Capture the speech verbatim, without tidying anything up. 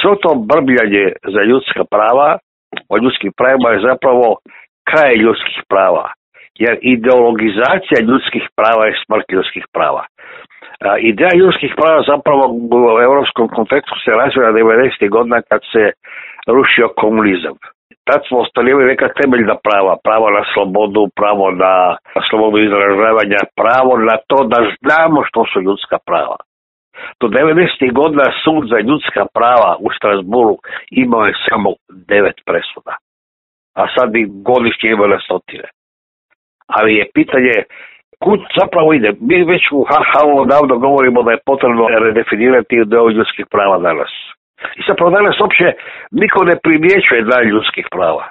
svo to brbljanje za ljudska prava, o ljudskim pravima je zapravo kraj ljudskih prava. Jer ideologizacija ljudskih prava je smrt ljudskih prava. A, ideja ljudskih prava zapravo u europskom kontekstu se razvila devedesetih godina kad se rušio komunizam. Tad smo ostvarili neka temeljna prava, pravo na slobodu, pravo na slobodu izražavanja, pravo na to da znamo što su ljudska prava. Do devedesetih godina sud za ljudska prava u Strasburu imao je samo devet presuda, a sad ih godišnje ima na stotine. Ali je pitanje kud zapravo ide. Mi već u ha ha o davno govorimo da je potrebno redefinirati ideju ljudskih prava danas. I zapravo danas uopće niko ne primjećuje dan ljudskih prava.